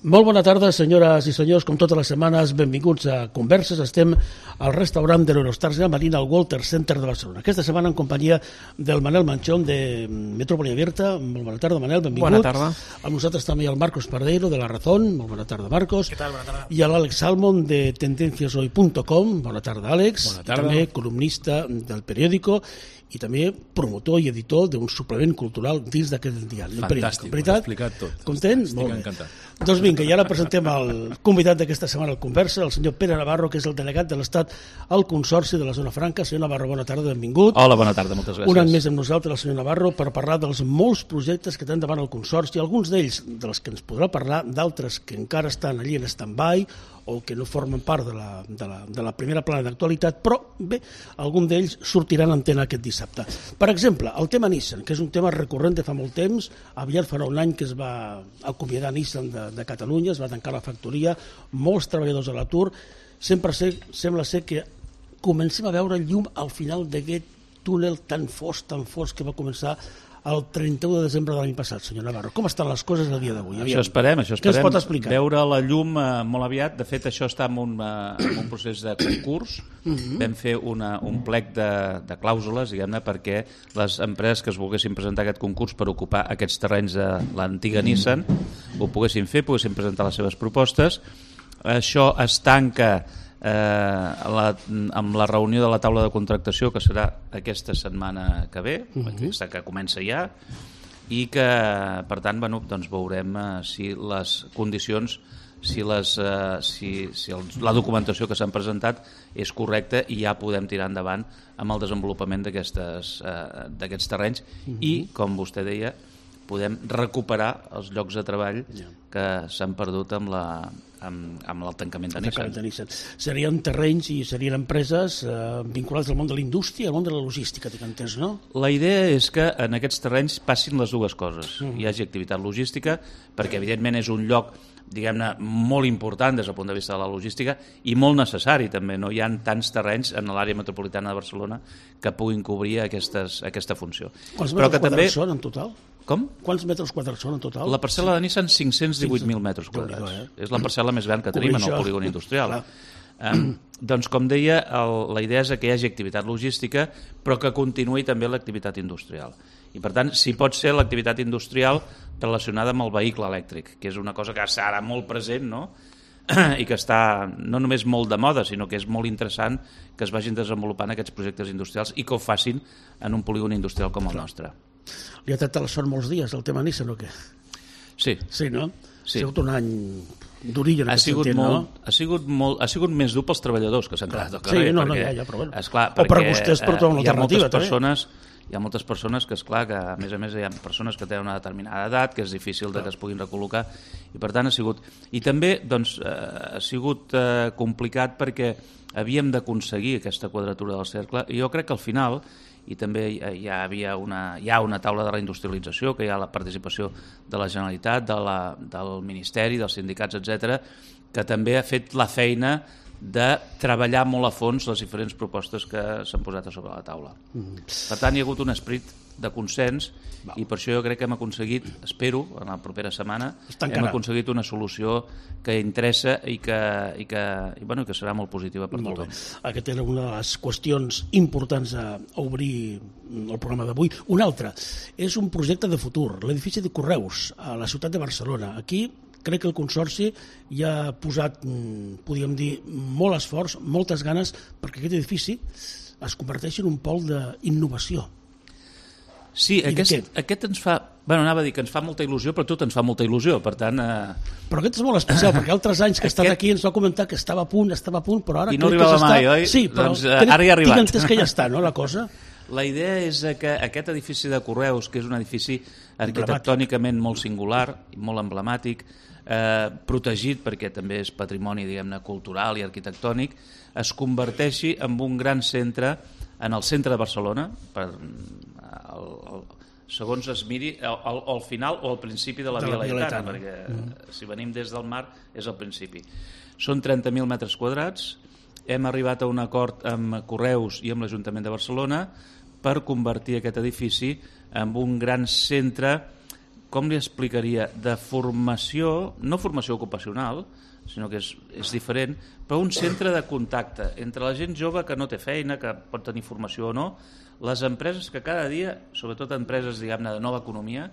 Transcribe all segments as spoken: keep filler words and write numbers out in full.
Molt bona tarda, senyores i senyors, com totes les setmanes, benvinguts a Converses. Estem al restaurant de l'Eurostars Marina al Walter Center de Barcelona. Aquesta setmana en companyia del Manel Manchón de Metrópoli Abierta. Molt bona tarda, Manel, benvingut. Bona tarda. Amb nosaltres també el Marcos Pardeiro de La Razón. Molt bona tarda, Marcos. Què tal? Bona tarda. I l'Àlex Salmon de tendencias hoy punto com. Bona tarda, Àlex. Bona tarda. I també columnista del periòdico i també promotor i editor d'un suplement cultural dins d'aquest diari. Fantàstic, ho has explicat tot. Content? Estic Molt bé. encantat. Doncs vinga, i ara presentem el convidat d'aquesta setmana al Conversa, el senyor Pere Navarro, que és el delegat de l'Estat al Consorci de la Zona Franca. Senyor Navarro, bona tarda, benvingut. Hola, bona tarda, moltes gràcies. Un any més amb nosaltres, el senyor Navarro, per parlar dels molts projectes que tenen davant el Consorci, alguns d'ells dels que ens podrà parlar, d'altres que encara estan allí en stand-by o que no formen part de la, de la, de la primera plana d'actualitat, però bé, algun d'ells sortiran a antena aquest dissabte. Per exemple, el tema Nissan, que és un tema recurrent de fa molt temps. Aviat farà un any que es va acomiadar Nissan de, de Catalunya, es va tancar la factoria, molts treballadors a l'atur. Sempre ser, sembla ser que comencem a veure llum al final d'aquest túnel tan fosc, tan fosc que va començar el trenta-u de desembre de l'any passat, senyor Navarro. Com estan les coses el dia d'avui? Això esperem, això esperem. Què ens pot explicar? Veure la llum eh, molt aviat. De fet, això està en un, eh, en un procés de concurs. Mm-hmm. Vam fer una, un plec de, de clàusules, diguem-ne, perquè les empreses que es volguessin presentar aquest concurs per ocupar aquests terrenys de l'antiga Nissan ho poguessin fer, poguessin presentar les seves propostes. Això es tanca Eh, la, amb la reunió de la taula de contractació, que serà aquesta setmana que ve, uh-huh. aquesta que comença ja, i que per tant bueno, doncs veurem eh, si les condicions, si, les, eh, si, si el, la documentació que s'han presentat és correcta i ja podem tirar endavant amb el desenvolupament d'aquests eh, terrenys uh-huh. i, com vostè deia, podem recuperar els llocs de treball yeah. que s'han perdut amb la amb, amb el tancament de Nissan. de Nissan. Serien terrenys i serien empreses eh, vinculades al món de la indústria i al món de la logística, tinc entès, no? La idea és que en aquests terrenys passin les dues coses. Mm. Hi hagi activitat logística, perquè evidentment és un lloc diguem-ne molt important des del punt de vista de la logística i molt necessari també. No hi ha tants terrenys en l'àrea metropolitana de Barcelona que puguin cobrir aquestes, aquesta funció. Quants Però metres que també... quadrats són en total? Com? Quants metres quadrats són en total? La parcel·la de Nissan, cinc-cents divuit mil metres quadrats. Eh? És la parcel·la més gran que tenim en el polígon industrial. Eh, doncs, com deia, el, la idea és que hi hagi activitat logística, però que continuï també l'activitat industrial. I, per tant, si pot ser l'activitat industrial relacionada amb el vehicle elèctric, que és una cosa que està ara molt present, no? I que està no només molt de moda, sinó que és molt interessant que es vagin desenvolupant aquests projectes industrials i que ho facin en un polígon industrial com el nostre. Li ha tractat la sort molts dies, el tema Nissan, o què? Sí. Sí, no? Sí. Ha sigut un any d'origen en ha aquest sigut sentit, molt, no? Ha sigut, molt, ha sigut més dur pels treballadors que s'han quedat al carrer. Sí, no, perquè, no, ja, ja, però bueno. Esclar, o per vostès per trobar una hi ha alternativa, moltes també. persones, hi ha moltes persones que, esclar, que a més a més hi ha persones que tenen una determinada edat, que és difícil de que es puguin recol·locar, i per tant ha sigut... I també doncs, eh, ha sigut eh, complicat perquè havíem d'aconseguir aquesta quadratura del cercle, i jo crec que al final, i també hi havia una, hi ha una taula de reindustrialització, que hi ha la participació de la Generalitat, de la, del Ministeri, dels sindicats, etcètera, que també ha fet la feina de treballar molt a fons les diferents propostes que s'han posat a sobre la taula. Mm. Per tant, hi ha hagut un esperit de consens Val. I per això jo crec que hem aconseguit, espero, en la propera setmana, hem aconseguit una solució que interessa i que, i que, i, bueno, que serà molt positiva per molt tothom. Bé. Aquesta era una de les qüestions importants a obrir el programa d'avui. Una altra, és un projecte de futur, l'edifici de Correus a la ciutat de Barcelona. Aquí crec que el Consorci ja ha posat, podríem dir, molt esforç, moltes ganes perquè aquest edifici es converteixi en un pol d'innovació. Sí, aquest, aquest ens fa... Bueno, anava a dir que ens fa molta il·lusió, però tot ens fa molta il·lusió, per tant... Eh... Però aquest és molt especial, perquè altres anys que ha estat aquest... aquí ens va comentar que estava a punt, estava a punt, però ara... I no arribava que mai, oi? Sí, però doncs, eh, ara hi ha arribat. Tinc entès que ja està, no, la cosa? La idea és que aquest edifici de Correus, que és un edifici arquitectònicament molt singular, molt emblemàtic, eh, protegit perquè també és patrimoni, diguem-ne, cultural i arquitectònic, es converteixi en un gran centre en el centre de Barcelona, per, el, el, segons es miri, al, al final o al principi de la, de la Via Laietana, perquè mm. si venim des del mar és al principi. Són trenta mil metres quadrats, hem arribat a un acord amb Correus i amb l'Ajuntament de Barcelona per convertir aquest edifici en un gran centre com li explicaria, de formació, no formació ocupacional, sinó que és, és diferent, però un centre de contacte entre la gent jove que no té feina, que pot tenir formació o no, les empreses que cada dia, sobretot empreses, diguem-ne, de nova economia,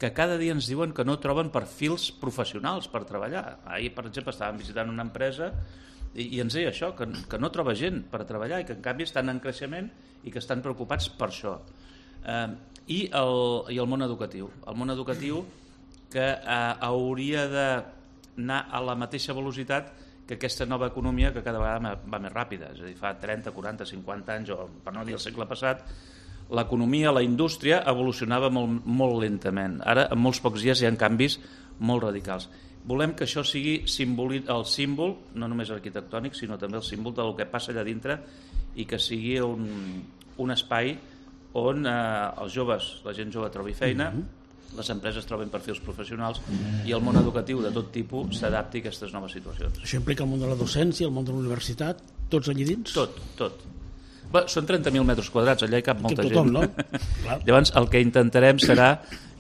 que cada dia ens diuen que no troben perfils professionals per treballar. Ahir, per exemple, estàvem visitant una empresa i, i ens deia això, que, que no troba gent per treballar i que en canvi estan en creixement i que estan preocupats per això. Eh, i, el, I el món educatiu. El món educatiu que eh, hauria d'anar a la mateixa velocitat que aquesta nova economia que cada vegada va més ràpida. És a dir, fa trenta, quaranta, cinquanta anys, o per no dir el segle passat, l'economia, la indústria evolucionava molt, molt lentament. Ara, en molts pocs dies, hi ha canvis molt radicals. Volem que això sigui simboli, el símbol, no només arquitectònic, sinó també el símbol del que passa allà dintre i que sigui un, un espai on eh, els joves, la gent jove trobi feina, mm-hmm. les empreses troben perfils professionals mm-hmm. i el món educatiu de tot tipus s'adapti a aquestes noves situacions. Això implica el món de la docència, el món de la universitat, tots allí dins? Tot, tot. Bé, són trenta mil metres quadrats, allà hi cap molta tothom, gent. No? Llavors, el que intentarem serà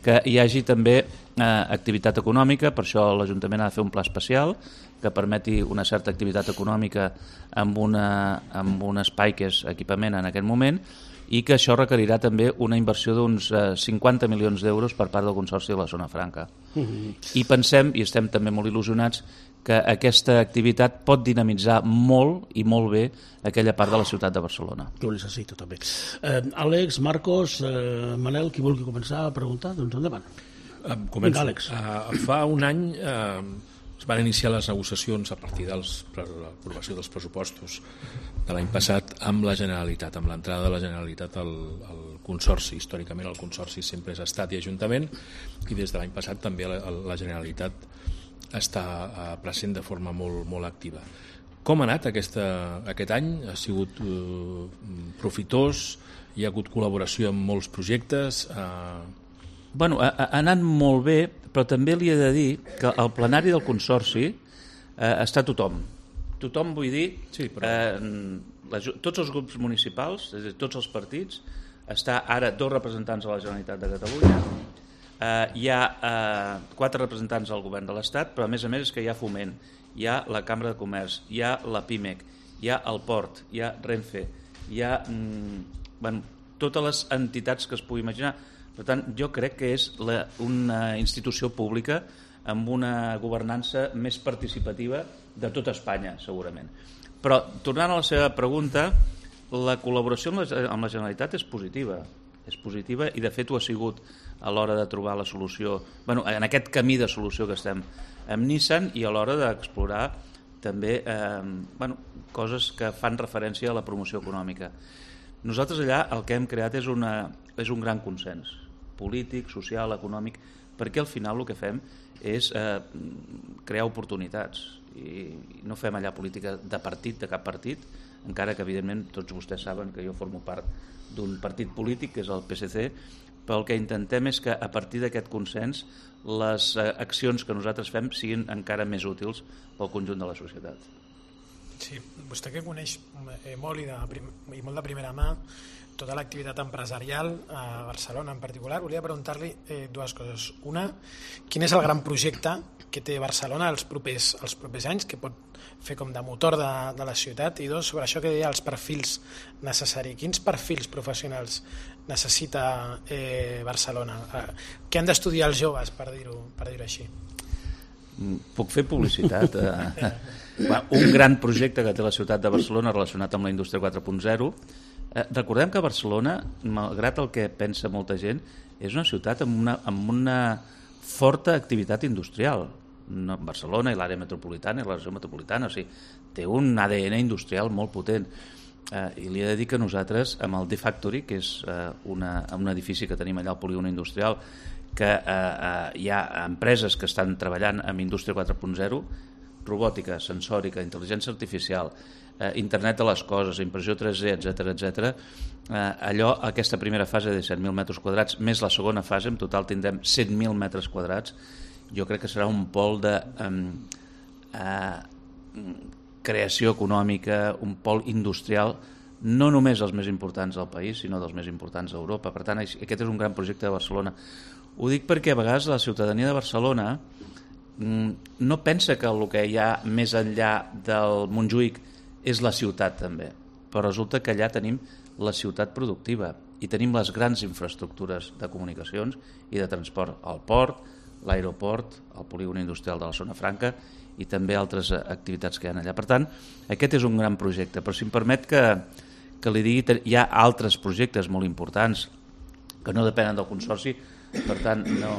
que hi hagi també eh, activitat econòmica, per això l'Ajuntament ha de fer un pla especial que permeti una certa activitat econòmica amb, una, amb un espai que és equipament en aquest moment, i que això requerirà també una inversió d'uns eh, cinquanta milions d'euros per part del Consorci de la Zona Franca. Uh-huh. I pensem, i estem també molt il·lusionats, que aquesta activitat pot dinamitzar molt i molt bé aquella part de la ciutat de Barcelona. Ho necessito també. Eh, Àlex, Marcos, eh, Manel, qui vulgui començar a preguntar, doncs endavant. Eh, començo. Vinga, Àlex. Eh, fa un any eh, es van iniciar les negociacions a partir de l'aprovació dels pressupostos de l'any passat amb la Generalitat, amb l'entrada de la Generalitat al, al Consorci. Històricament el Consorci sempre és Estat i Ajuntament, i des de l'any passat també la, la Generalitat està uh, present de forma molt, molt activa. Com ha anat aquesta, aquest any? Ha sigut uh, profitós? Hi ha hagut col·laboració amb molts projectes? Uh... Bueno, ha, ha anat molt bé, però també li he de dir que al plenari del Consorci eh, està tothom. Tothom, vull dir, sí, però... eh, la, tots els grups municipals, és a dir, tots els partits, està ara dos representants de la Generalitat de Catalunya, Uh, hi ha uh, quatre representants del govern de l'Estat, però a més a més és que hi ha Foment, hi ha la Cambra de Comerç, hi ha la PIMEC, hi ha el Port, hi ha Renfe, hi ha mm, bueno, totes les entitats que es pugui imaginar. Per tant, jo crec que és la, una institució pública amb una governança més participativa de tota Espanya, segurament. Però, tornant a la seva pregunta, la col·laboració amb la, amb la Generalitat és positiva. És positiva i de fet ho ha sigut a l'hora de trobar la solució, bueno, en aquest camí de solució que estem amb Nissan, i a l'hora d'explorar també eh, bueno, coses que fan referència a la promoció econòmica. Nosaltres allà el que hem creat és, una, és un gran consens polític, social, econòmic, perquè al final el que fem és eh, crear oportunitats i no fem allà política de partit, de cap partit, encara que evidentment tots vostès saben que jo formo part d'un partit polític que és el P S C, però el que intentem és que a partir d'aquest consens les accions que nosaltres fem siguin encara més útils pel conjunt de la societat. Sí, vostè que coneix molt i, de, i molt de primera mà tota l'activitat empresarial a Barcelona en particular, volia preguntar-li eh, dues coses. Una, quin és el gran projecte que té Barcelona els propers, els propers anys, que pot fer com de motor de, de la ciutat? I dos, sobre això que deia els perfils necessaris. Quins perfils professionals necessita eh, Barcelona? Eh, què han d'estudiar els joves, per dir-ho per dir-ho així? Puc fer publicitat? Un gran projecte que té la ciutat de Barcelona relacionat amb la indústria quatre punt zero. Eh, recordem que Barcelona, malgrat el que pensa molta gent, és una ciutat amb una, amb una forta activitat industrial. No, Barcelona i l'àrea metropolitana i la regió metropolitana, o sigui, té un A D N industrial molt potent. Eh, I li he de dir que nosaltres, amb el D-Factory, que és eh, una, un edifici que tenim allà al polígon industrial, que eh, eh, hi ha empreses que estan treballant amb indústria quatre punt zero, robòtica, sensòrica, intel·ligència artificial, eh, internet de les coses, impressió tres D, etcètera, etcètera. Eh, allò, aquesta primera fase de set mil metres quadrats, més la segona fase, en total tindrem set mil metres quadrats. Jo crec que serà un pol de eh, eh, creació econòmica, un pol industrial, no només els més importants del país, sinó dels més importants d'Europa. Per tant, aquest és un gran projecte de Barcelona. Ho dic perquè a vegades la ciutadania de Barcelona no pensa que el que hi ha més enllà del Montjuïc és la ciutat també, però resulta que allà tenim la ciutat productiva i tenim les grans infraestructures de comunicacions i de transport, el port, l'aeroport, el polígon industrial de la Zona Franca i també altres activitats que hi ha allà. Per tant, aquest és un gran projecte, però si em permet que, que li digui, hi ha altres projectes molt importants que no depenen del Consorci, per tant no,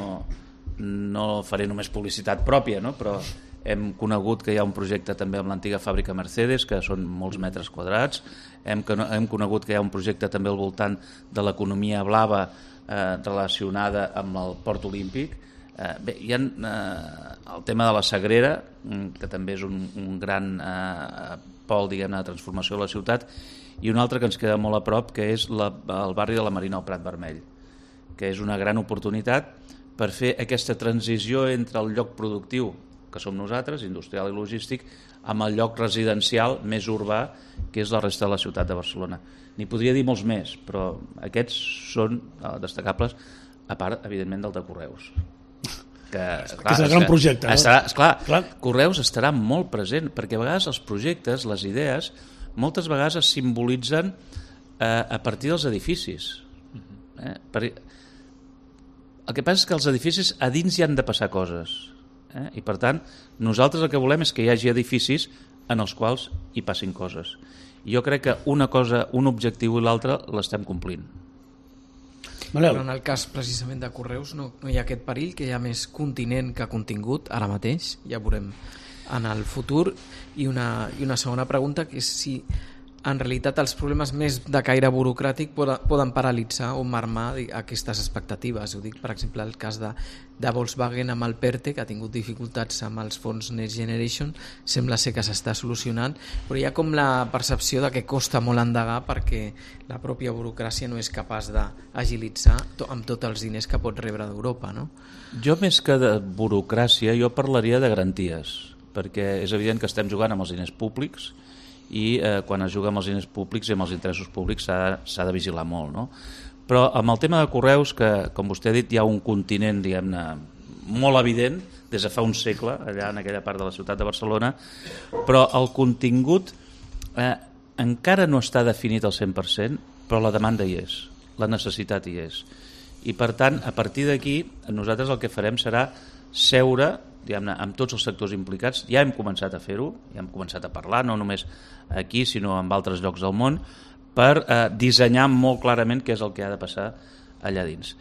no faré només publicitat pròpia, no? Però hem conegut que hi ha un projecte també amb l'antiga fàbrica Mercedes, que són molts metres quadrats, hem, hem conegut que hi ha un projecte també al voltant de l'economia blava eh, relacionada amb el Port Olímpic. Eh, bé, hi ha eh, el tema de la Sagrera, que també és un, un gran eh, pol, diguem-ne, de transformació de la ciutat, i un altre que ens queda molt a prop, que és la, el barri de la Marina al Prat Vermell, que és una gran oportunitat per fer aquesta transició entre el lloc productiu, que som nosaltres, industrial i logístic, amb el lloc residencial més urbà, que és la resta de la ciutat de Barcelona. N'hi podria dir molts més, però aquests són destacables, a part, evidentment, del de Correus. Que, clar, que és el gran projecte. No? Estarà, esclar, clar. Correus estarà molt present, perquè a vegades els projectes, les idees, moltes vegades es simbolitzen eh, a partir dels edificis. Eh? Per... El que passa és que els edificis a dins hi han de passar coses. Eh? I per tant, nosaltres el que volem és que hi hagi edificis en els quals hi passin coses. I jo crec que una cosa, un objectiu i l'altre l'estem complint. Manel. Però en el cas precisament de Correus no, no hi ha aquest perill, que hi ha més continent que contingut ara mateix, ja veurem en el futur. I una, i una segona pregunta, que és si en realitat els problemes més de caire burocràtic poden, poden paralitzar o marmar aquestes expectatives. Ho dic, per exemple, el cas de, de Volkswagen amb el PERTE, que ha tingut dificultats amb els fons Next Generation, sembla ser que s'està solucionant, però hi ha com la percepció de que costa molt endegar perquè la pròpia burocràcia no és capaç d'agilitzar to, amb tots els diners que pot rebre d'Europa, no? Jo, més que de burocràcia, jo parlaria de garanties, perquè és evident que estem jugant amb els diners públics i eh, quan es juga amb els diners públics i amb els interessos públics s'ha de vigilar molt, no? Però amb el tema de Correus, que com vostè ha dit hi ha un continent, diguem-ne, molt evident des de fa un segle allà en aquella part de la ciutat de Barcelona, però el contingut eh, encara no està definit al cent per cent, però la demanda hi és, la necessitat hi és, i per tant a partir d'aquí nosaltres el que farem serà seure, diguem-ne, amb tots els sectors implicats. Ja hem començat a fer-ho, ja hem començat a parlar, no només aquí sinó en altres llocs del món, per eh, dissenyar molt clarament què és el que ha de passar allà dins.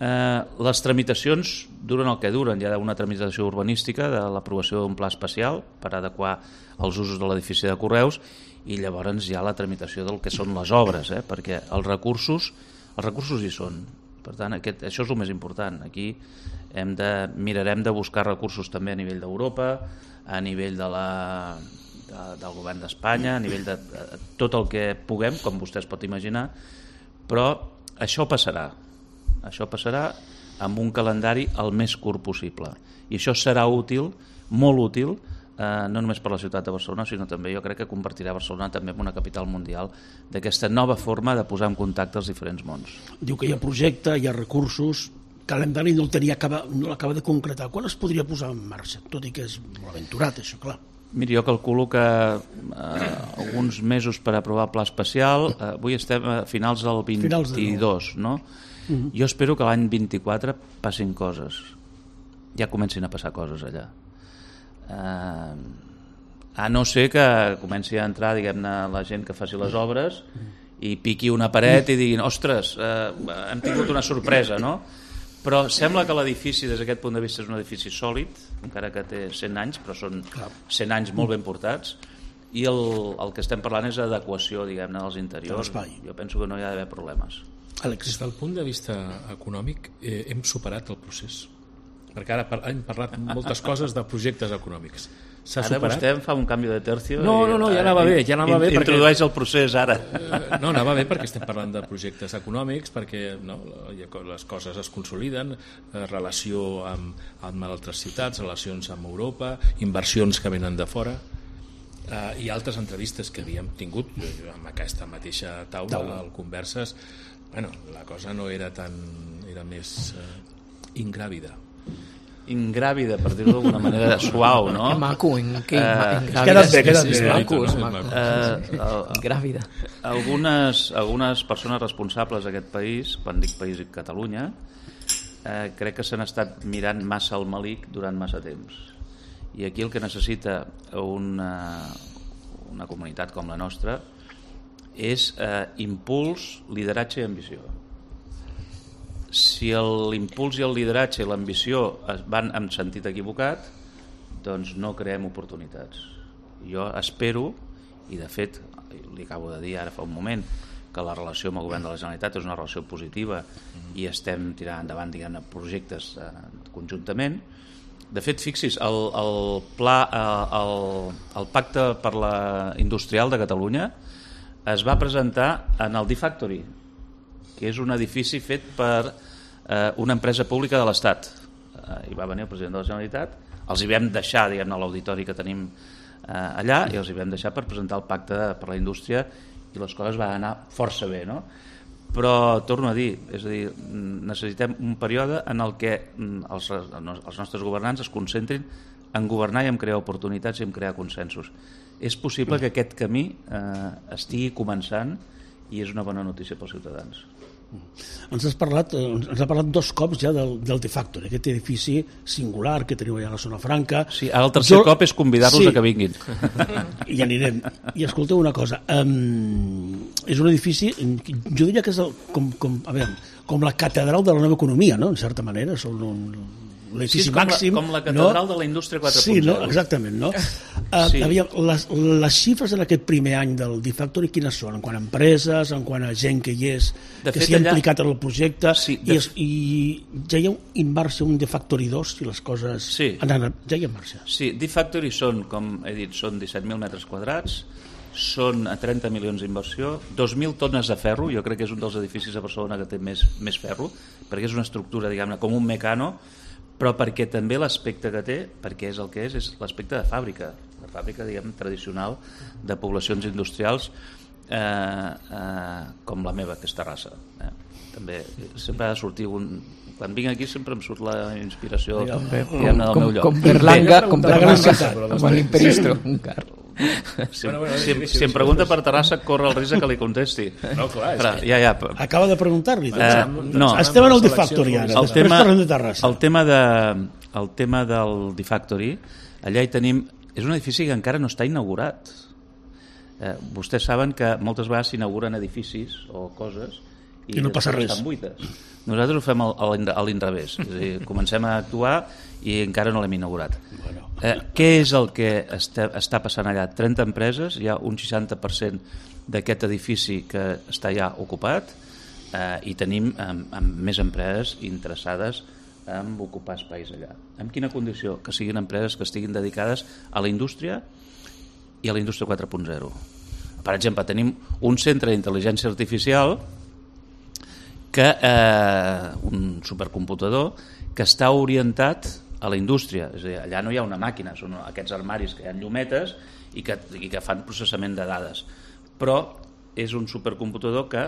Eh, les tramitacions duren el que duren, hi ha una tramitació urbanística de l'aprovació d'un pla especial per adequar els usos de l'edifici de Correus i llavors hi ha la tramitació del que són les obres, eh, perquè els recursos, els recursos hi són. Per tant, aquest, això és el més important. Aquí hem de, mirarem de buscar recursos també a nivell d'Europa, a nivell de la, de, del govern d'Espanya, a nivell de, de tot el que puguem, com vostè es pot imaginar, però això passarà. Això passarà amb un calendari el més curt possible. I això serà útil, molt útil, eh, no només per la ciutat de Barcelona, sinó també jo crec que convertirà Barcelona també en una capital mundial d'aquesta nova forma de posar en contacte els diferents mons. Diu que hi ha projecte, hi ha recursos, calendari no l'acaba no de concretar. Quan es podria posar en marxa? Tot i que és molt aventurat, això, clar. Miri, jo calculo que eh, alguns mesos per aprovar el pla especial, eh, avui estem a finals del vint-i-dos, no? Uh-huh. Jo espero que l'any vint-i-quatre passin coses, ja comencin a passar coses allà. Eh, a no ser que comenci a entrar, diguem-ne, la gent que faci les obres i piqui una paret i diguin, ostres, eh, hem tingut una sorpresa, no? Però sembla que l'edifici des d'aquest punt de vista és un edifici sòlid, encara que té cent anys, però són cent anys molt ben portats, i el, el que estem parlant és adequació, diguem-ne, dels interiors. Jo penso que no hi ha d'haver problemes. Àlex, des del punt de vista econòmic eh, hem superat el procés, perquè ara par hem parlat moltes coses de projectes econòmics. Ara vostè em fa un canvi de tercio. No, no, no, ja anava bé, ja anava bé. Introdueix perquè... el procés ara. No, anava bé perquè estem parlant de projectes econòmics, perquè no, les coses es consoliden, relació amb, amb altres ciutats, relacions amb Europa, inversions que venen de fora, eh, i altres entrevistes que havíem tingut amb aquesta mateixa taula, taula. Al Converses. Bueno, la cosa no era tan... era més... Eh, ingràvida. Ingràvida, per dir-ho d'alguna manera suau, no? Maco, en què? Uh, Ingràvida queda't bé, queda't és bé. maco, és maco. Uh, Ingràvida. Algunes, algunes persones responsables d'aquest país, quan dic país i Catalunya, eh, crec que s'han estat mirant massa al malic durant massa temps. I aquí el que necessita una, una comunitat com la nostra és eh, impuls, lideratge i ambició. Si l'impuls i el lideratge i l'ambició van en sentit equivocat, doncs no creem oportunitats. Jo espero, i de fet li acabo de dir ara fa un moment, que la relació amb el govern de la Generalitat és una relació positiva i estem tirant endavant, diguem-ne, projectes eh, conjuntament. De fet, fixis, el, el, pla, eh, el, el pacte per la industrial de Catalunya es va presentar en el D-Factory, que és un edifici fet per eh, una empresa pública de l'Estat. Eh, hi va venir el president de la Generalitat, els hi vam deixar, diguem-ne, a l'auditori que tenim eh, allà, i els hi vam deixar per presentar el pacte per la indústria, i les coses van anar força bé, no? Però, torno a dir, és a dir, necessitem un període en el que els, els nostres governants es concentrin en governar i en crear oportunitats i en crear consensos. És possible que aquest camí eh, estigui començant i és una bona notícia pels ciutadans. Ens has parlat, ens ha parlat dos cops ja del, del D-Factory, aquest edifici singular que teniu allà a la zona franca. Sí, ara el tercer jo... cop és convidar-los sí. a que vinguin. I anirem. I escolteu una cosa, um, és un edifici, jo diria que és el, com, com, a veure, com la catedral de la nova economia, no? En certa manera, són un... l'edifici sí, com màxim, la, com la catedral no? de la indústria quatre punt zero. Sí, no? Exactament, no? Uh, sí. Aviam, les, les xifres en aquest primer any del D-Factory quines són? En quant a empreses, en quant a gent que hi és, de que s'hi ha allà... implicat en el projecte, sí, de... i, es, i ja hi ha en marxa un D-Factory dos, si les coses sí. han anat, ja hi ha en marxa. Sí, D-Factory són, com he dit, són disset mil metres quadrats, són a trenta milions d'inversió, dos mil tones de ferro, jo crec que és un dels edificis a Barcelona que té més, més ferro, perquè és una estructura, diguem-ne, com un mecano, però perquè també l'aspecte que té, perquè és el que és, és l'aspecte de fàbrica, de fàbrica, diguem, tradicional de poblacions industrials eh, eh, com la meva, que és Terrassa. Eh? També sempre ha de sortir un... Quan vinc aquí sempre em surt la inspiració com, diguem-ne, del com, meu lloc. Com Berlanga, com Berlanga, com l'Imperisto. Si, si, si em pregunta per Terrassa, corre el risc que li contesti. No, clar, és Però, que... ja, ja. Acaba de preguntar-li. Uh, no. Estem en el D-Factory ara, el després tema, parlem de Terrassa. El tema, de, el tema del D-Factory, allà hi tenim... És un edifici que encara no està inaugurat. Eh, vostès saben que moltes vegades s'inauguren edificis o coses i, I no passa res. Estan buides. Nosaltres ho fem a l'inrevés. És a dir, comencem a actuar i encara no l'hem inaugurat. Bueno. Eh, què és el que està, està passant allà? trenta empreses, hi ha un seixanta per cent d'aquest edifici que està ja ocupat eh, i tenim amb, amb més empreses interessades en ocupar espais allà. En quina condició? Que siguin empreses que estiguin dedicades a la indústria i a la indústria quatre punt zero. Per exemple, tenim un centre d'intel·ligència artificial que eh, un supercomputador que està orientat a la indústria, és a dir, allà no hi ha una màquina, són aquests armaris que hi ha llumetes i que, i que fan processament de dades, però és un supercomputador que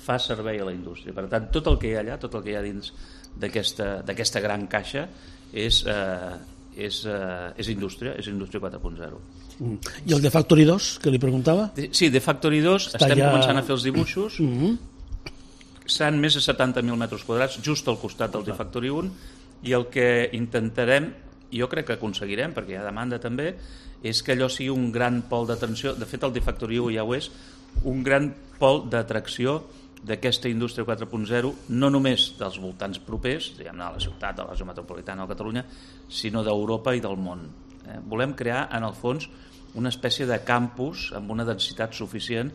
fa servei a la indústria. Per tant, tot el que hi ha allà, tot el que hi ha dins d'aquesta gran caixa és, eh, és, eh, és indústria, és indústria quatre punt zero. Mm. I el D-Factory dos, que li preguntava? Sí, D-Factory dos, Està estem ja... començant a fer els dibuixos, mm-hmm. Seran més de setanta mil metres quadrats just al costat del D-Factory un, i el que intentarem, i jo crec que aconseguirem, perquè hi ha demanda també, és que allò sigui un gran pol d'atenció. De fet, el D-Factory un ja ho és, un gran pol d'atracció d'aquesta indústria quatre punt zero, no només dels voltants propers, diguem-ne, a la ciutat, a la zona metropolitana de Catalunya, sinó d'Europa i del món. Eh? Volem crear, en el fons, una espècie de campus amb una densitat suficient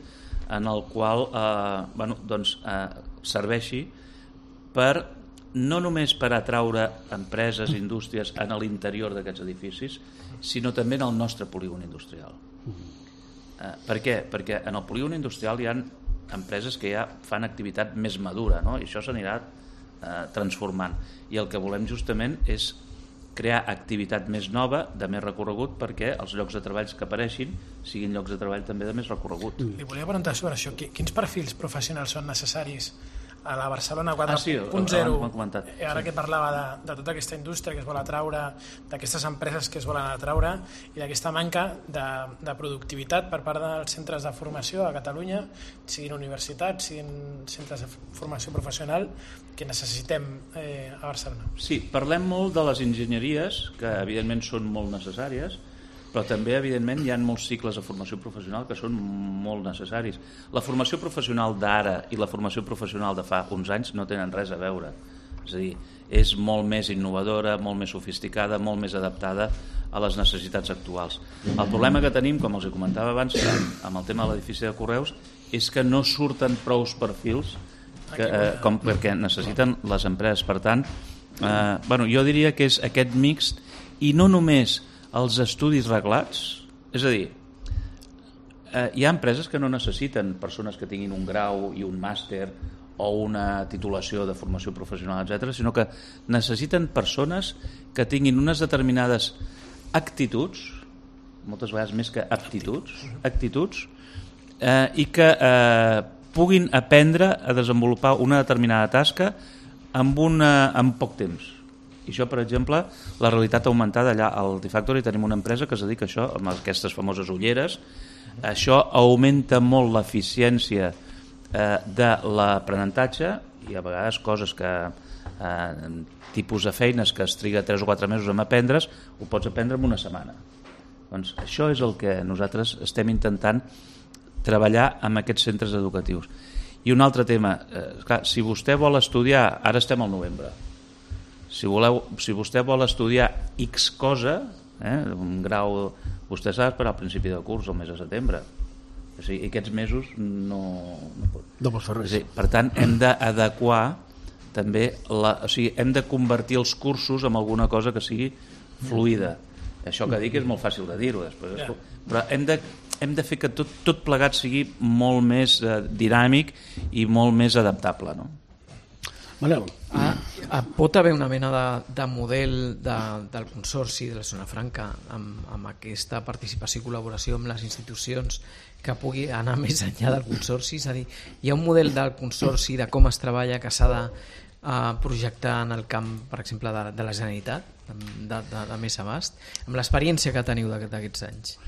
en el qual eh, bueno, doncs, eh, serveixi per no només per atraure empreses, indústries en l'interior d'aquests edificis, sinó també en el nostre polígon industrial. Eh, per què? Perquè en el polígon industrial hi ha empreses que ja fan activitat més madura, no? I això s'anirà eh, transformant. I el que volem justament és crear activitat més nova, de més recorregut, perquè els llocs de treball que apareixin siguin llocs de treball també de més recorregut. Li volia preguntar sobre això. Quins perfils professionals són necessaris a la Barcelona quatre punt zero, ara que parlava de, de tota aquesta indústria que es vol atraure, d'aquestes empreses que es volen atraure i d'aquesta manca de, de productivitat per part dels centres de formació a Catalunya, siguin universitats, siguin centres de formació professional, que necessitem eh, a Barcelona. Sí, parlem molt de les enginyeries, que evidentment són molt necessàries, però també, evidentment, hi ha molts cicles de formació professional que són molt necessaris. La formació professional d'ara i la formació professional de fa uns anys no tenen res a veure. És a dir, és molt més innovadora, molt més sofisticada, molt més adaptada a les necessitats actuals. El problema que tenim, com els comentava abans, amb el tema de l'edifici de Correus, és que no surten prous perfils que, eh, com perquè necessiten les empreses. Per tant, eh, bueno, jo diria que és aquest mixt, i no només els estudis reglats, és a dir, eh, hi ha empreses que no necessiten persones que tinguin un grau i un màster o una titulació de formació professional, etcètera, sinó que necessiten persones que tinguin unes determinades actituds, moltes vegades més que aptituds, actituds, eh, i que eh, puguin aprendre a desenvolupar una determinada tasca amb, una, amb poc temps. I això, per exemple, la realitat augmentada allà al T-Factory tenim una empresa que es dedica a això, amb aquestes famoses ulleres. Això augmenta molt l'eficiència eh, de l'aprenentatge i a vegades coses que eh, tipus de feines que es triga tres o quatre mesos en aprendre's, ho pots aprendre en una setmana. Doncs això és el que nosaltres estem intentant treballar amb aquests centres educatius. I un altre tema, eh, clar, si vostè vol estudiar, ara estem al novembre, Si, voleu, si vostè vol estudiar X cosa, eh, un grau, vostè s'ha d'esperar al principi del curs, al mes de setembre. O sigui, aquests mesos no, no pot. No pots fer res. O sigui, per tant, hem d'adequar també, la, o sigui, hem de convertir els cursos en alguna cosa que sigui fluida. Això que dic és molt fàcil de dir-ho després, yeah. Però hem de, hem de fer que tot, tot plegat sigui molt més eh, dinàmic i molt més adaptable, no? Manel. Ah, ah, pot haver una mena de, de model de, del Consorci de la Zona Franca amb, amb aquesta participació i col·laboració amb les institucions que pugui anar més enllà del Consorci? És a dir, hi ha un model del Consorci de com es treballa que s'ha de uh, projectar en el camp, per exemple, de, de la Generalitat, de, de, de més abast, amb l'experiència que teniu d'aquests anys?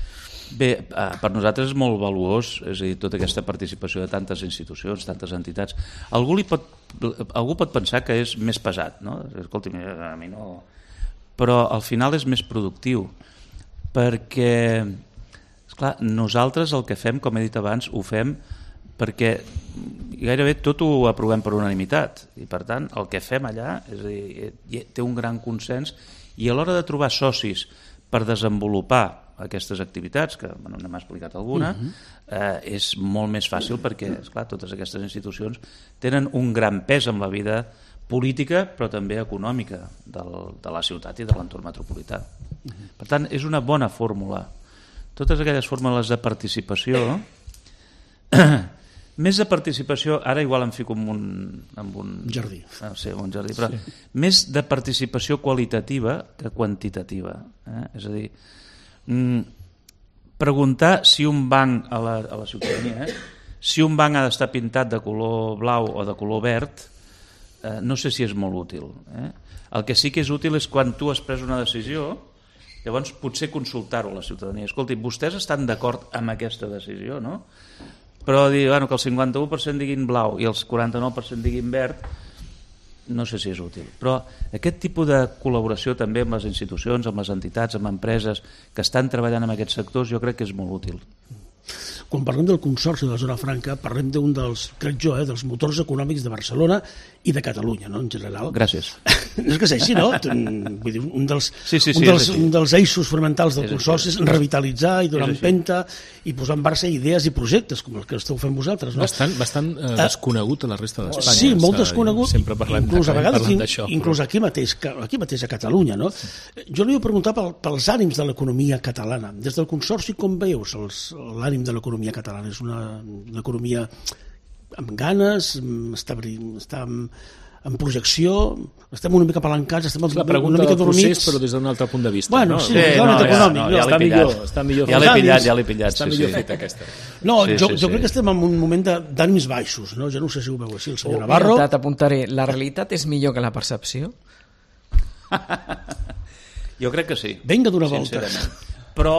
Bé, per nosaltres és molt valuós, és a dir, tota aquesta participació de tantes institucions, tantes entitats. Algú, li pot, algú pot pensar que és més pesat, no? Escolti, a mi no... Però al final és més productiu, perquè, esclar, nosaltres el que fem, com he dit abans, ho fem perquè gairebé tot ho aprovem per unanimitat, i per tant el que fem allà és a dir, té un gran consens, i a l'hora de trobar socis per desenvolupar aquestes activitats, que bueno, n'hem explicat alguna, uh-huh. eh, és molt més fàcil perquè, esclar, totes aquestes institucions tenen un gran pes en la vida política, però també econòmica del, de la ciutat i de l'entorn metropolità. Uh-huh. Per tant, és una bona fórmula. Totes aquelles fórmules de participació, més de participació, ara igual em fico en un... En un jardí. No sé, en un jardí, però sí. Més de participació qualitativa que quantitativa. Eh? És a dir, preguntar si un banc a la, a la ciutadania, eh? si un banc ha d'estar pintat de color blau o de color verd, eh, no sé si és molt útil. Eh? El que sí que és útil és quan tu has pres una decisió, llavors potser consultar-ho a la ciutadania. Escolti, vostès estan d'acord amb aquesta decisió, no? Però dir bueno, que el cinquanta-u per cent diguin blau i els quaranta-nou per cent diguin verd, no sé si és útil, però aquest tipus de col·laboració també amb les institucions, amb les entitats, amb empreses que estan treballant en aquests sectors, jo crec que és molt útil. Quan parlem del Consorci de la Zona Franca, parlem d'un dels, crec jo, eh, dels motors econòmics de Barcelona i de Catalunya, no?, en general. Gràcies. És que és així, no? Vull dir, un dels, sí, sí, sí, un dels, sí. un dels eixos fonamentals del Consorci és revitalitzar i donar empenta i posar en marxa idees i projectes, com els que esteu fent vosaltres, no? Bastant, bastant eh, desconegut a la resta d'Espanya. Sí, molt desconegut. Sempre parlem, inclús a vegades, d'això. Inclús però... aquí mateix, aquí mateix a Catalunya, no? Sí. Jo li vull preguntar pel, pels ànims de l'economia catalana. Des del Consorci, com veus l'ànim de l'economia catalana? És una, una economia amb ganes, està, està en projecció, estem una mica apalancats, estem és la una pregunta mica del procés, dormits. però des d'un altre punt de vista. Bueno, no? sí, Sí, no, no, no, ja, econòmic. no, no, ja està l'he millor, pillat. està millor. Ja l'he fet. pillat, ja l'he pillat. Està sí, millor sí. fet aquesta. No, Sí, jo, sí, jo sí. crec que estem en un moment de- d'ànims baixos, no? Jo no sé si ho veu així, el senyor Oh, Navarro. mira, t'apuntaré, la realitat és millor que la percepció? Jo crec que sí. Vinga d'una volta. Sincerament. Però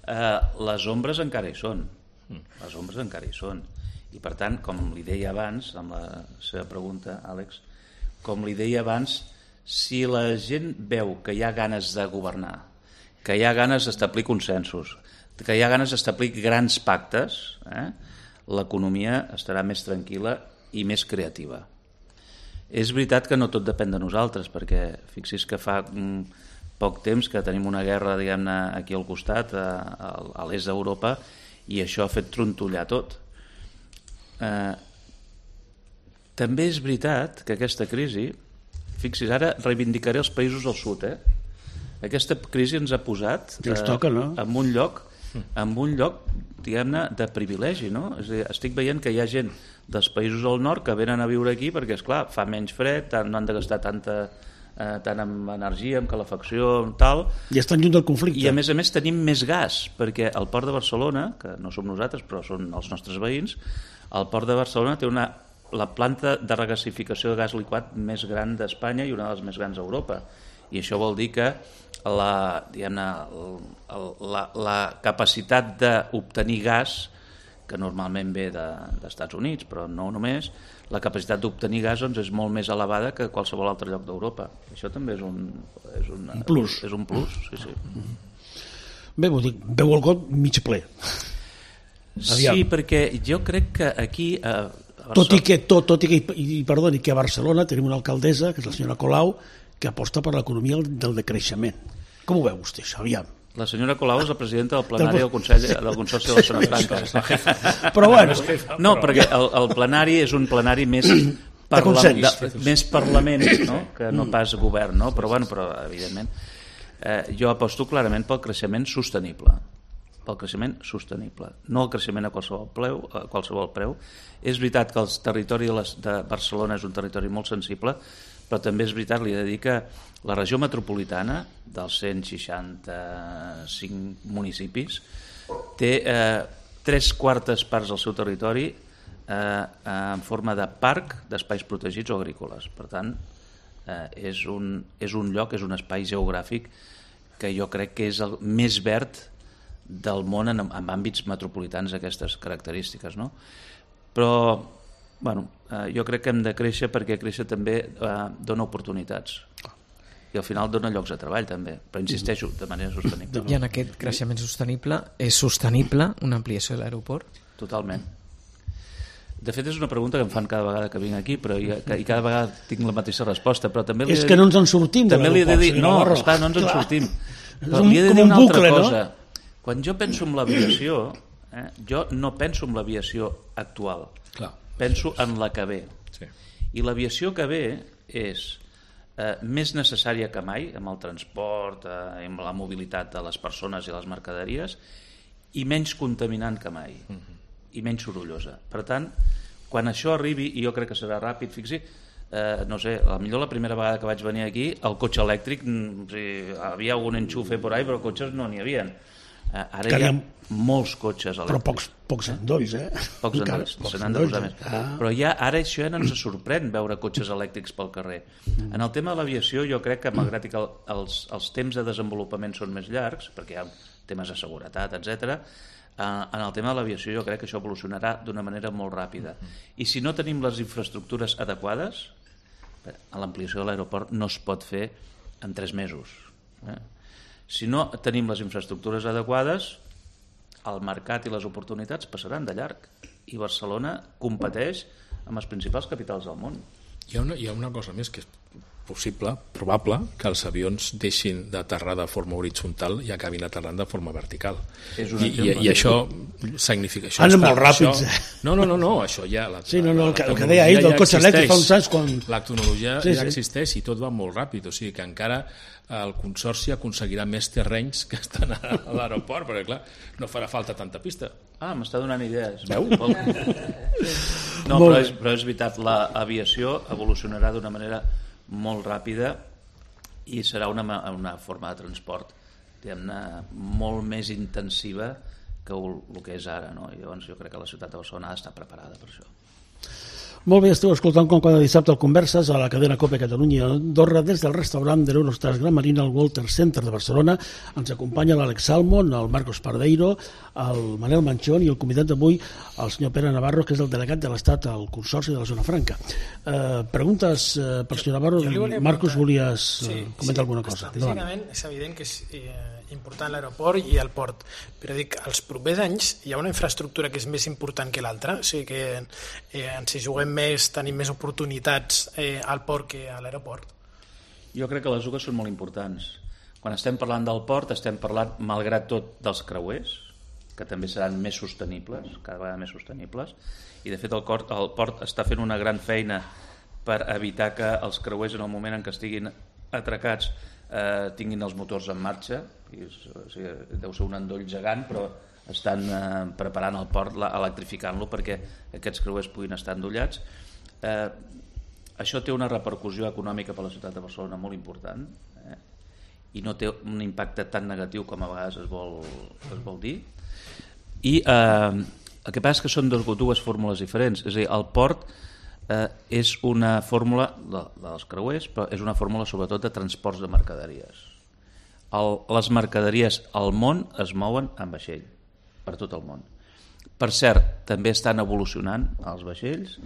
eh, les ombres encara hi són. Les ombres encara hi són. I per tant, com li deia abans, amb la seva pregunta, Àlex, com li deia abans, si la gent veu que hi ha ganes de governar, que hi ha ganes d'establir consensos, que hi ha ganes d'establir grans pactes, eh, l'economia estarà més tranquil·la i més creativa. És veritat que no tot depèn de nosaltres, perquè fixi's que fa mm, poc temps que tenim una guerra, diguem-ne, aquí al costat, a, a l'est d'Europa, i això ha fet trontollar tot. Eh, també és veritat que aquesta crisi, fixis, ara reivindicaré els països del sud, eh? Aquesta crisi ens ha posat Ens toca, no? en un lloc, en un lloc diguem-ne, de privilegi, no? És a dir, estic veient que hi ha gent dels països del nord que venen a viure aquí perquè, és clar, fa menys fred, no han de gastar tanta, eh, tant en energia, en calefacció, en tal, I estan lluny del conflicte. i a més a més tenim més gas, perquè el port de Barcelona, que no som nosaltres però són els nostres veïns, el port de Barcelona té una, la planta de regasificació de gas liquat més gran d'Espanya i una de les més grans d'Europa, i això vol dir que la, diguem-ne, la, la capacitat d'obtenir gas, que normalment ve de, d'Estats Units, però no només, la capacitat d'obtenir gas doncs, és molt més elevada que qualsevol altre lloc d'Europa. Això també és un, és un, Un plus. És un plus, sí, sí. Bé, vull dir, veu el got mig ple. Aviam. Sí, perquè jo crec que aquí... A Barcelona... Tot i que, tot, tot i que, i, i perdoni, que a Barcelona tenim una alcaldessa, que és la senyora Colau, que aposta per l'economia del decreixement. Com ho veu vostè, això? Aviam. La senyora Colau és la presidenta del plenari del Consell del Consorci de la Zona Franca. Però bueno, No, perquè el, el plenari és un plenari més parla, consens. de, més Parlament, no? Que no pas govern, no? Però, bueno, però evidentment eh, jo aposto clarament pel creixement sostenible, pel creixement sostenible, no el creixement a qualsevol preu, a qualsevol preu. És veritat que el territori de, les, de Barcelona és un territori molt sensible, però també és veritat, li he de dir que la regió metropolitana dels cent seixanta-cinc municipis té eh, tres quartes parts del seu territori eh, en forma de parc d'espais protegits o agrícoles. Per tant, eh, és, un, és un lloc, és un espai geogràfic que jo crec que és el més verd del món en, en àmbits metropolitans d'aquestes característiques, no? Però bueno, eh, jo crec que hem de créixer perquè créixer també eh, dona oportunitats i al final dona llocs de treball també, però insisteixo, de manera sostenible. I en aquest creixement sostenible és sostenible una ampliació de l'aeroport? Totalment. De fet és una pregunta que em fan cada vegada que vinc aquí, però i, i cada vegada tinc la mateixa resposta, però també li he és de que dir- no ens en sortim de també li he de dir, l'aeroport, no, senyor Navarro. esclar, no ens en Clar. sortim. És Però un- li he de com dir un una altra bucle, no? cosa. Quan jo penso en l'aviació, eh, jo no penso en l'aviació actual, Clar. penso en la que ve. Sí. I l'aviació que ve és eh, més necessària que mai amb el transport, eh, amb la mobilitat de les persones i les mercaderies, i menys contaminant que mai, uh-huh. i menys sorollosa. Per tant, quan això arribi, i jo crec que serà ràpid, fixi, eh, no sé, a millor la primera vegada que vaig venir aquí, el cotxe elèctric, mm, o sigui, havia algun enxufe por ahí, però cotxes no n'hi havia. Eh, ara Que hi ha n'hi molts cotxes elèctrics. Però pocs, pocs endolls, eh? Pocs Encara, endolls, pocs se n'han de endolls, posar eh? més. Ah. Però ja ara això ja no ens sorprèn veure cotxes elèctrics pel carrer. En el tema de l'aviació jo crec que malgrat que el, els, els temps de desenvolupament són més llargs, perquè hi ha temes de seguretat, etcètera, eh, en el tema de l'aviació jo crec que això evolucionarà d'una manera molt ràpida. I si no tenim les infraestructures adequades, a l'ampliació de l'aeroport no es pot fer en tres mesos. Eh? Si no tenim les infraestructures adequades, el mercat i les oportunitats passaran de llarg i Barcelona competeix amb les principals capitals del món. Hi ha una, hi ha una cosa més que possible, probable, que els avions deixin d'aterrar de forma horitzontal i acabin aterrant de forma vertical. És un I, i, I això significa... Això Anen està, molt ràpids, això, eh? No, no, no, no, això ja... La, sí, no, no, el, que, el que deia deia ahir del cotxe elèctric fa uns anys quan... La tecnologia sí, ja sí. existeix i tot va molt ràpid, o sigui que encara el Consorci aconseguirà més terrenys que estan a l'aeroport, perquè clar, no farà falta tanta pista. Ah, m'està donant idees. Veu? No, però és, però és veritat, l'aviació evolucionarà d'una manera molt ràpida i serà una, una forma de transport diguem-ne molt més intensiva que el, el que és ara, no? I llavors jo crec que la ciutat de Barcelona ha d'estar preparada per això. Molt bé, esteu escoltant com cada dissabte el Converses a la cadena COPE Catalunya Andorra des del restaurant de l'Eurostars Gran Marina al Walter Center de Barcelona. Ens acompanya l'Àlex Salmon, el Marcos Pardeiro, el Manel Manchón i el convidat d'avui, el senyor Pere Navarro, que és el delegat de l'Estat al Consorci de la Zona Franca. Eh, preguntes eh, per senyor Navarro? Marcos, volies eh, sí, comentar sí, alguna cosa? Estratègicament és evident que és eh, important l'aeroport i el port, però dic, als propers anys hi ha una infraestructura que és més important que l'altra, o sigui que eh, ens hi juguem més, tenim més oportunitats eh, al port que a l'aeroport. Jo crec que les dues són molt importants. Quan estem parlant del port estem parlant, malgrat tot, dels creuers, que també seran més sostenibles, cada vegada més sostenibles, i de fet el, cort, el port està fent una gran feina per evitar que els creuers en el moment en què estiguin atracats eh, tinguin els motors en marxa, i, o sigui, deu ser un endoll gegant, però estan eh, preparant el port, electrificant-lo perquè aquests creuers puguin estar endollats. Eh, això té una repercussió econòmica per a la ciutat de Barcelona molt important, eh, i no té un impacte tan negatiu com a vegades es vol, es vol dir. I eh, el que passa és que són dos, dues fórmules diferents, és a dir, el port eh, és una fórmula de, dels creuers, però és una fórmula sobretot de transports de mercaderies. El, les mercaderies al món es mouen en vaixell, per tot el món. Per cert, també estan evolucionant els vaixells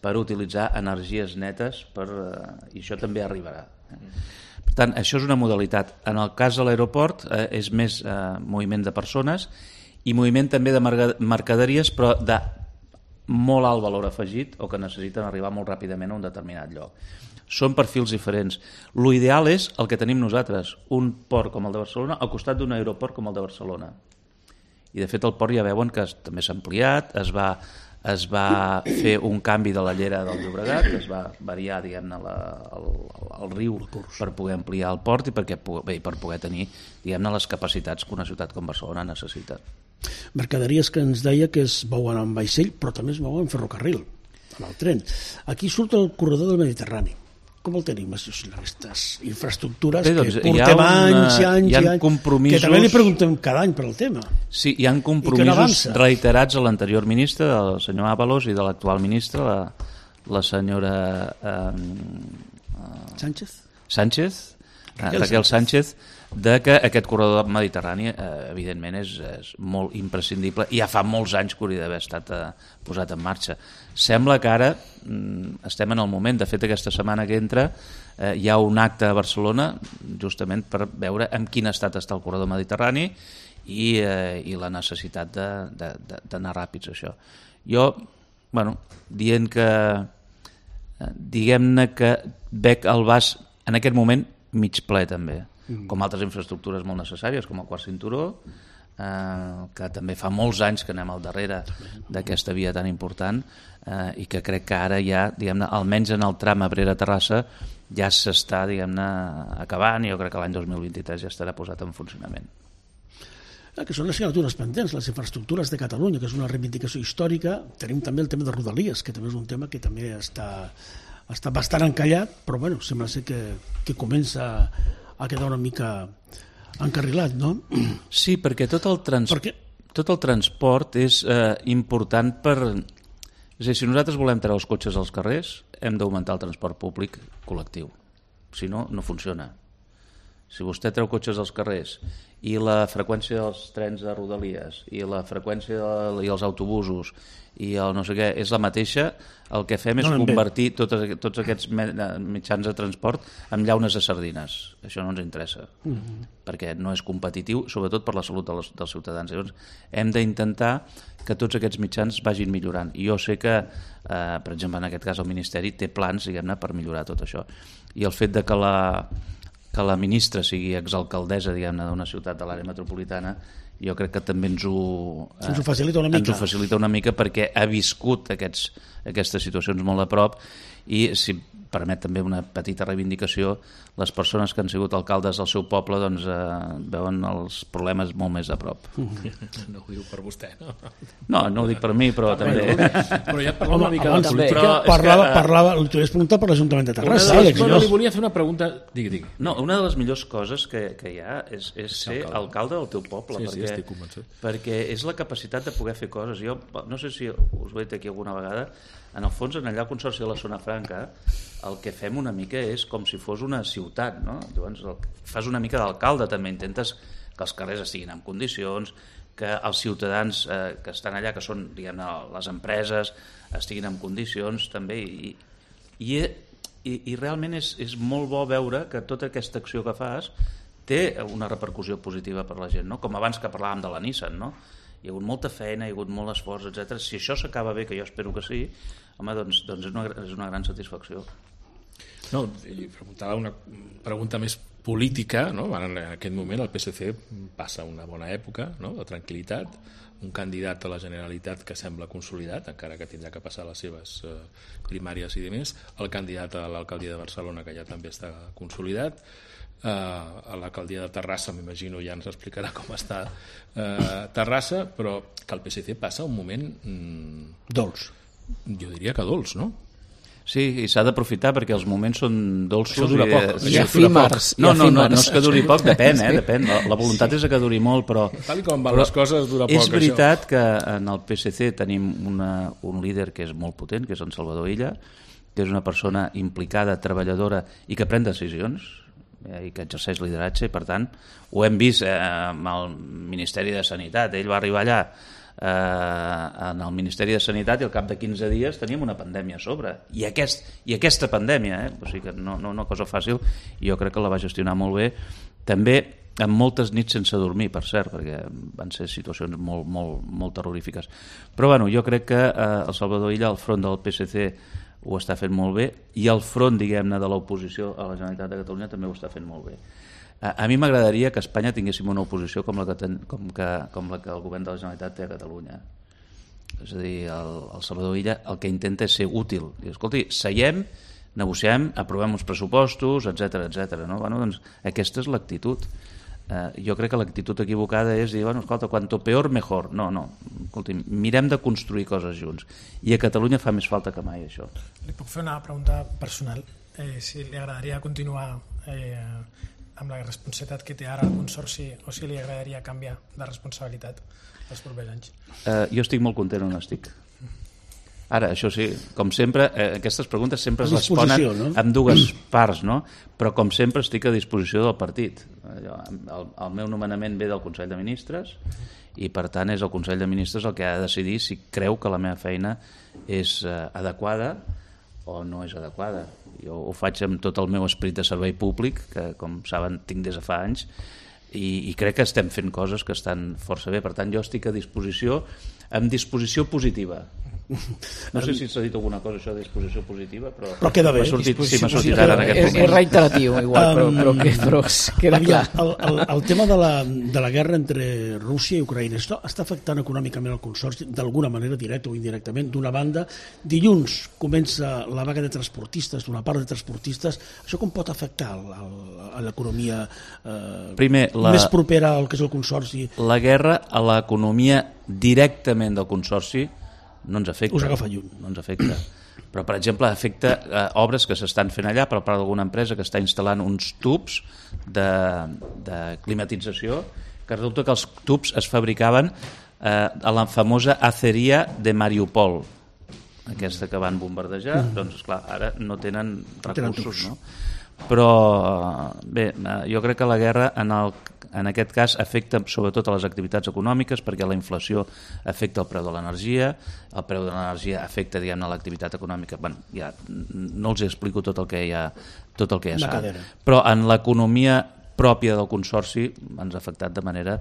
per utilitzar energies netes per, eh, i això també arribarà. Per tant, això és una modalitat. En el cas de l'aeroport eh, és més eh, moviment de persones i moviment també de mercaderies, però de molt alt valor afegit o que necessiten arribar molt ràpidament a un determinat lloc. Són perfils diferents. L'ideal és el que tenim nosaltres, un port com el de Barcelona al costat d'un aeroport com el de Barcelona. I de fet el port ja veuen que també s'ha ampliat, es va, es va fer un canvi de la llera del Llobregat, es va variar diguem-ne la, el, el riu per poder ampliar el port i perquè, bé, per poder tenir diguem-ne les capacitats que una ciutat com Barcelona necessita. Mercaderies que ens deia que es mouen en vaixell, però també es mouen en ferrocarril, en el tren. Aquí surt el corredor del Mediterrani. Com el tenim, aquestes infraestructures Bé, doncs, que portem una, anys i anys i anys, compromisos... que també li preguntem cada any per al tema. Sí, hi ha compromisos no reiterats a l'anterior ministre, del senyor Ábalos, i de l'actual ministre, la, la senyora eh, Sánchez, Sánchez Raquel, Raquel Sánchez, de que aquest corredor mediterrani eh, evidentment és, és molt imprescindible i ja fa molts anys que hauria d'haver estat eh, posat en marxa. Sembla que ara mm, estem en el moment, de fet aquesta setmana que entra eh, hi ha un acte a Barcelona justament per veure en quin estat està el corredor mediterrani i, eh, i la necessitat d'anar ràpids això. Jo, bueno, dient que eh, diguem-ne que veig el vas en aquest moment mig ple també, com altres infraestructures molt necessàries, com el quart cinturó, eh, que també fa molts anys que anem al darrere d'aquesta via tan important eh, i que crec que ara ja, diguem-ne, almenys en el tram Abrera-Terrassa ja s'està, diguem-ne, acabant i jo crec que l'any dos mil vint-i-tres ja estarà posat en funcionament. Que són les assignatures pendents, les infraestructures de Catalunya, que és una reivindicació històrica. Tenim també el tema de Rodalies, que també és un tema que també està, està bastant encallat, però bueno, sembla ser que, que comença a quedar una mica encarrilat, no? Sí, perquè tot el, trans... perquè... tot el transport és eh, important per... És a dir, si nosaltres volem treure els cotxes als carrers, hem d'augmentar el transport públic col·lectiu. Si no, no funciona. Si vostè treu cotxes dels carrers i la freqüència dels trens de Rodalies i la freqüència de, i els autobusos i el no sé què és la mateixa, el que fem és no convertir tots, tots aquests mitjans de transport en llaunes de sardines. Això no ens interessa, uh-huh. perquè no és competitiu, sobretot per la salut dels, dels ciutadans. Llavors, hem d'intentar que tots aquests mitjans vagin millorant. I jo sé que, eh, per exemple, en aquest cas el Ministeri té plans, diguem-ne, per millorar tot això. I el fet de que la, que la ministra sigui exalcaldessa, diguem-ne, d'una ciutat de l'àrea metropolitana, jo crec que també ens ho, eh, ens ho facilita una mica. Ens ho facilita una mica perquè ha viscut aquests, aquestes situacions molt a prop i, si permet també una petita reivindicació, les persones que han sigut alcaldes del seu poble doncs, eh, veuen els problemes molt més a prop. No ho diu per vostè, no? No, no ho dic per mi, però ah, també... Però ja parlem una mica de la política. Però parlava, que, parlava, li t'ho preguntat per l'Ajuntament de Terrassa. Les, no, no, li volia fer una pregunta... Digui, digui. No, una de les millors coses que, que hi ha és, és ser alcalde. alcalde del teu poble. Sí, perquè, sí, estic convençut. Perquè és la capacitat de poder fer coses. Jo no sé si us ho he dit aquí alguna vegada, en el fons, en allà al Consorci de la Zona Franca, el que fem una mica és com si fos una ciutat, no? Llavors el, fas una mica d'alcalde, també intentes que els carrers estiguin en condicions, que els ciutadans eh, que estan allà, que són, diguem, les empreses, estiguin en condicions també, i, i, i, i realment és, és molt bo veure que tota aquesta acció que fas té una repercussió positiva per la gent, no? Com abans que parlàvem de la Nissan, no? Hi ha hagut molta feina, hi ha hagut molt esforç, etcètera. Si això s'acaba bé, que jo espero que sí, home, doncs, doncs és, una, és una gran satisfacció. No, i preguntava una pregunta més política, no? En aquest moment el P S C passa una bona època, no? De tranquil·litat, un candidat a la Generalitat que sembla consolidat, encara que tindrà que passar les seves eh, primàries i demés, el candidat a l'alcaldia de Barcelona, que ja també està consolidat, eh, a l'alcaldia de Terrassa, m'imagino, ja ens explicarà com està eh, Terrassa, però que el P S C passa un moment... Mm, dolç. Jo diria que dolç, no? Sí, i s'ha d'aprofitar perquè els moments són dolços. Això dura poc. I efímers. No, no, no, no és que duri poc, depèn, eh, depèn. La, la voluntat és que duri molt, però... Tal com van les coses dura poc, és veritat això. Que en el P S C tenim una, un líder que és molt potent, que és en Salvador Illa, que és una persona implicada, treballadora i que pren decisions eh, i que exerceix lideratge, i per tant ho hem vist eh, amb el Ministeri de Sanitat. Ell va arribar allà Eh, en el Ministeri de Sanitat i al cap de quinze dies teníem una pandèmia a sobre i, aquest, i aquesta pandèmia eh? O sigui que no, no una cosa fàcil, i jo crec que la va gestionar molt bé, també amb moltes nits sense dormir, per cert, perquè van ser situacions molt, molt, molt terrorífiques, però bueno, jo crec que eh, el Salvador Illa al front del P S C ho està fent molt bé, i al front, diguem-ne, de l'oposició a la Generalitat de Catalunya també ho està fent molt bé. A mi m'agradaria que a Espanya tinguéssim una oposició com la que, ten, com que, com la que el govern de la Generalitat té a Catalunya. És a dir, el, el Salvador Illa el que intenta és ser útil. I, escolti, seiem, negociem, aprovem uns pressupostos, etcètera, etcètera. No? Bueno, doncs, aquesta és l'actitud. Eh, jo crec que l'actitud equivocada és dir, bueno, escolta, quanto peor, mejor. No, no. Escolti, mirem de construir coses junts. I a Catalunya fa més falta que mai, això. Li puc fer una pregunta personal? Eh, si li agradaria continuar... Eh, amb la responsabilitat que té ara el Consorci, o si li agradaria canviar de responsabilitat els propers anys? Uh, jo estic molt content on estic. Ara, això sí, com sempre, eh, aquestes preguntes sempre es responen, no? Amb dues parts, no? Però com sempre estic a disposició del partit. El, el meu nomenament ve del Consell de Ministres i per tant és el Consell de Ministres el que ha de decidir si creu que la meva feina és eh, adequada o no és adequada. Jo ho faig amb tot el meu esperit de servei públic, que com saben tinc des de fa anys, i, i crec que estem fent coses que estan força bé. Per tant, jo estic a disposició, amb disposició positiva. No sé si s'ha dit alguna cosa això de disposició positiva, però, però queda bé. Sortit, sí, m'ha sortit ara en aquest és, moment. És reiteratiu, igual, però, però, que, però queda clar. El, el, el tema de la, de la guerra entre Rússia i Ucraïna està, està afectant econòmicament el Consorci d'alguna manera, directa o indirectament. D'una banda, dilluns comença la vaga de transportistes, d'una part de transportistes. Això com pot afectar a l'economia eh, Primer, la, més propera al que és el Consorci? La guerra a l'economia directament del Consorci no ens afecta. Us agafa lluny. No ens afecta. Però, per exemple, afecta eh, obres que s'estan fent allà per part d'alguna empresa que està instal·lant uns tubs de, de climatització, que resulta que els tubs es fabricaven eh, a la famosa aceria de Mariupol, aquesta que van bombardejar, mm. doncs, esclar, ara no tenen recursos, no? però bé, jo crec que la guerra en, el, en aquest cas afecta sobretot a les activitats econòmiques, perquè la inflació afecta el preu de l'energia, el preu de l'energia afecta, diguem-ne, l'activitat econòmica. Bueno, ja no els explico tot el que hi ha, tot el que ja sap. Però en l'economia pròpia del Consorci ens ha afectat de manera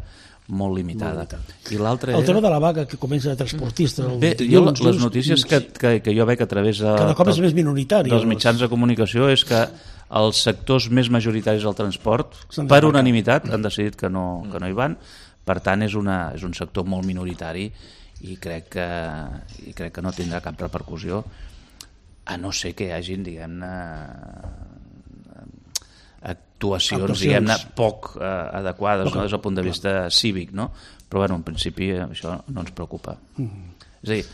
molt limitada. Molt limitada. I l'altre el era... tema de la vaga que comença de transportista... Bé, jo les, les notícies que, que, que jo veig a través de, cada cop és més minoritari, dels mitjans de comunicació és que els sectors més majoritaris del transport, per unanimitat, han decidit que no, que no hi van. Per tant, és, una, és un sector molt minoritari i crec, que, i crec que no tindrà cap repercussió, a no ser que hi hagin, diguem-ne, actuacions, actuacions. diguem-ne, poc eh, adequades, no, des del punt de vista cívic, no? Però, bueno, en principi, això no ens preocupa. Mm. És a dir,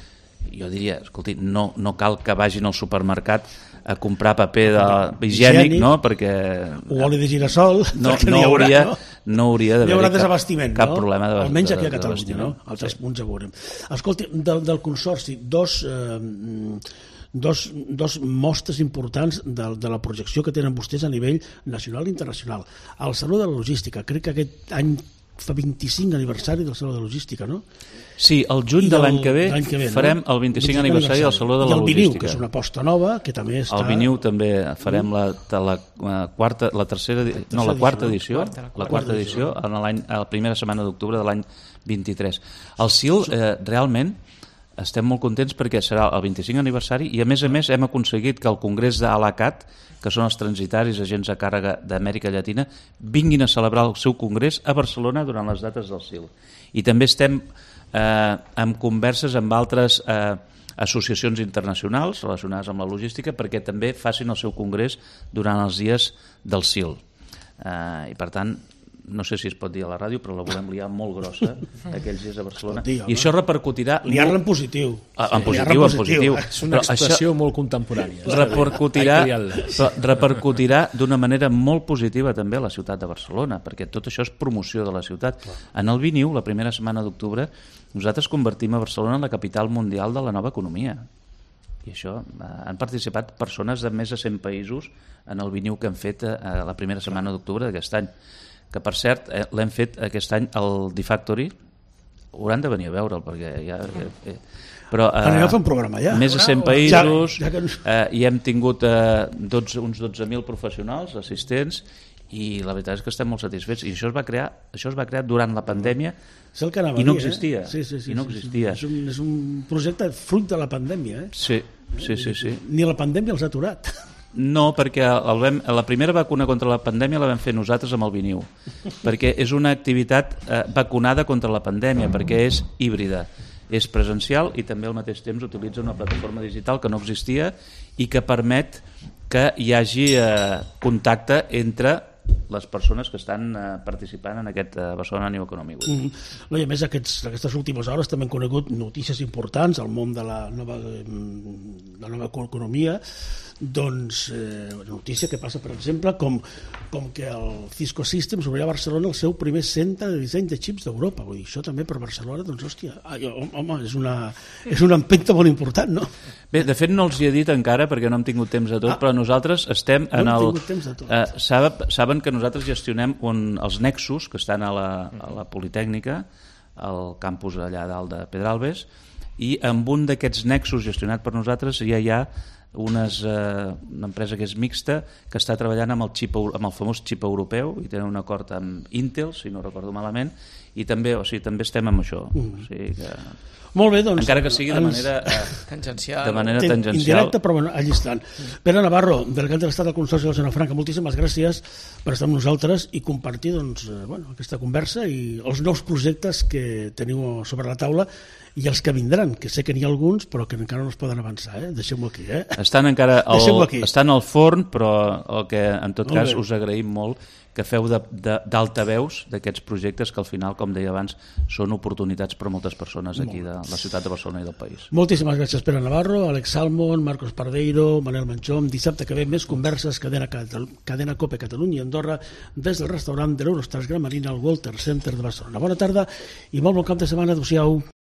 jo diria, escolti, no, no cal que vagin al supermercat a comprar paper de, higiènic, no? Perquè... O oli de girassol, no, no, haurà, hauria, no? no hauria d'haver hi haurà desabastiment, cap, cap no? problema de, almenys de, aquí a Catalunya, no? Els tres punts ja veurem. Escolti, del, del Consorci, dos, eh, dos, dos mostres importants de, de la projecció que tenen vostès a nivell nacional i internacional. El Saló de la Logística, crec que aquest any fa vint-i-cinc aniversari del Saló de la Logística, no? Sí, el juny de l'any que ve, que ve farem no? el vint-i-cinc aniversari del Saló de la Logística. I el Viniu, que és una aposta nova, que també està... El Viniu també farem la, la, la quarta, la tercera, no, la quarta edició, la quarta, la quarta edició, en l'any, a la primera setmana d'octubre de l'any vint-i-tres. El S I L, eh, realment, estem molt contents perquè serà el vint-i-cinc aniversari i, a més a més, hem aconseguit que el Congrés d'Alacat, que són els transitaris agents a càrrega d'Amèrica Llatina, vinguin a celebrar el seu congrés a Barcelona durant les dates del S I L. I també estem eh, en converses amb altres eh, associacions internacionals relacionades amb la logística perquè també facin el seu congrés durant els dies del S I L. Eh, I, per tant, no sé si es pot dir a la ràdio, però la volem liar molt grossa aquells dies a Barcelona. Dir, I això repercutirà... Liar-la en positiu. Ah, en positiu, en positiu. És una però expressió això molt contemporània. Repercutirà, repercutirà d'una manera molt positiva també a la ciutat de Barcelona, perquè tot això és promoció de la ciutat. En el Viniu, la primera setmana d'octubre, nosaltres convertim a Barcelona en la capital mundial de la nova economia. I això, eh, han participat persones de més de cent països en el Viniu que han fet eh, la primera setmana d'octubre d'aquest any, que per cert eh, l'hem fet aquest any al D-Factory. Hauran de venir a veure'l perquè ja... Eh, eh, però eh, anem a fer un programa ja. Més de cent països, ja, ja que... eh, i hem tingut eh, dotze, uns dotze mil professionals, assistents, i la veritat és que estem molt satisfets. I això es va crear, això es va crear durant la pandèmia i no existia. Eh? Sí, sí, sí, I no existia. Sí, sí. És, un, és un projecte fruit de la pandèmia. Eh? Sí, sí, sí, sí. Ni la pandèmia els ha aturat. No, perquè el vam, la primera vacuna contra la pandèmia la vam fer nosaltres amb el Viniu, perquè és una activitat eh, vacunada contra la pandèmia, perquè és híbrida, és presencial i també al mateix temps utilitza una plataforma digital que no existia i que permet que hi hagi eh, contacte entre les persones que estan eh, participant en aquest eh, Barcelona New Economy Week. Mm -hmm. No, i a més, aquests, aquestes últimes hores també hem conegut notícies importants al món de la nova, de la nova economia. Doncs, eh, notícia que passa, per exemple, com, com que el Cisco Systems obrirà a Barcelona el seu primer centre de disseny de xips d'Europa. Vull dir, això també per Barcelona, doncs, hòstia, home, és una, és una empenta molt important, no? Bé, de fet no els hi he dit encara perquè no hem tingut temps de tot, ah, però nosaltres estem en no el... Eh, saben, saben que nosaltres gestionem un, els nexus que estan a la, a la Politècnica, al campus allà dalt de Pedralbes, i amb un d'aquests nexus gestionat per nosaltres ja hi ha unes, eh, una empresa que és mixta que està treballant amb el, xip, amb el famós xip europeu i tenen un acord amb Intel, si no recordo malament, i també, o sigui, també estem amb això. Mm. O sigui que... Molt bé, doncs... Encara que sigui de manera, eh, tangencial. De manera tangencial. Indirecta, però bueno, allà estan. Pere Navarro, delegat de l'Estat del Consorci de la Zona Franca, moltíssimes gràcies per estar amb nosaltres i compartir doncs, eh, bueno, aquesta conversa i els nous projectes que teniu sobre la taula i els que vindran, que sé que n'hi ha alguns però que encara no es poden avançar, eh? Deixeu-m'ho aquí, eh? Estan encara al, estan al forn, però el que en tot cas us agraïm molt que feu d'altaveus d'aquests projectes que al final, com deia abans, són oportunitats per a moltes persones aquí de la ciutat de Barcelona i del país. Moltíssimes gràcies, Pere Navarro, Àlex Salmon, Marcos Pardeiro, Manel Manchón. Dissabte que ve més converses, cadena, cadena COPE Catalunya i Andorra des del restaurant de l'Eurostars Gran Marina al Walter Center de Barcelona. Bona tarda i molt bon cap de setmana. Adéu-siau.